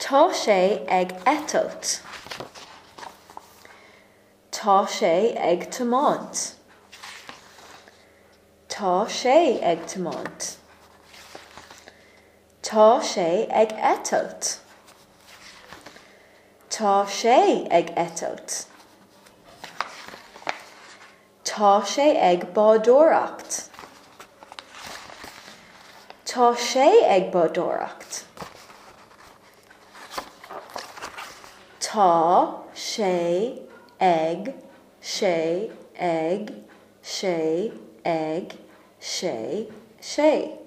Tá sé ag eitilt. Tá sé ag tiomáint. Tá sé ag tiomáint. Tá sé ag eitilt. Tá sé ag eitilt. Tá sé ag bádóireacht. Tá sé ag bádóireacht. Tá sé ag sé ag sé ag sé sé.